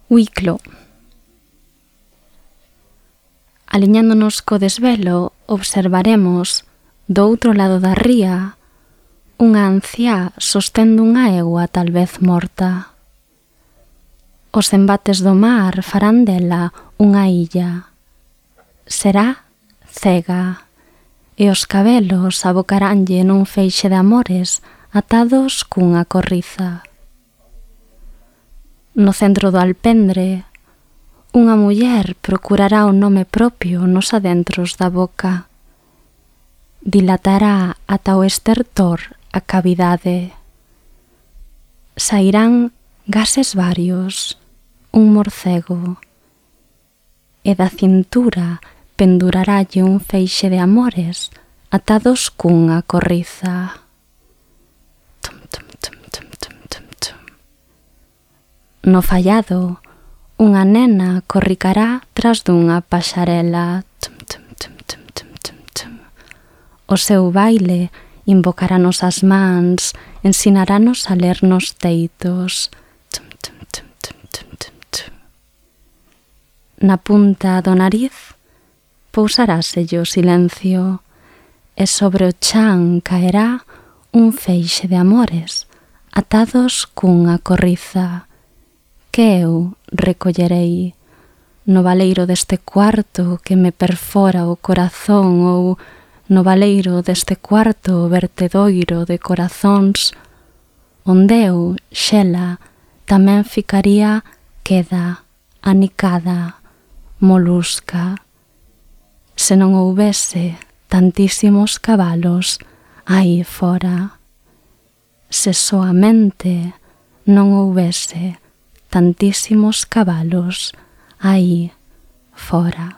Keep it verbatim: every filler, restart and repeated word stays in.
Uiclo. Aliñándonos co desvelo, observaremos, do outro lado da ría, unha anciá sostendo unha egua tal vez morta. Os embates do mar farán dela unha illa. Será cega, e os cabelos abocaranlle nun feixe de amores atados cunha corriza. No centro do alpendre, unha muller procurará o nome propio nos adentros da boca. Dilatará ata o estertor a cavidade. Sairán gases varios, un morcego, e da cintura penduraralle un feixe de amores atados cunha corriza. Tum, tum, tum, tum, tum, tum, tum. No fallado, unha nena corricará tras dunha paxarela. Tum, tum, tum, tum, tum, tum, tum. O seu baile invocarános as mans, ensinarános a ler nos teitos. Tum, tum, tum, tum, tum, tum, tum. Na punta do nariz pousaráselle o silencio, e sobre o chan caerá un feixe de amores atados cunha corriza, que eu recollerei no baleiro deste cuarto que me perfora o corazón, ou no baleiro deste cuarto vertedoiro de corazóns, onde eu, Xela, tamén ficaría queda, anicada, molusca, se non houbese tantísimos cabalos aí fora, se soamente non houbese tantísimos cabalos aí fora.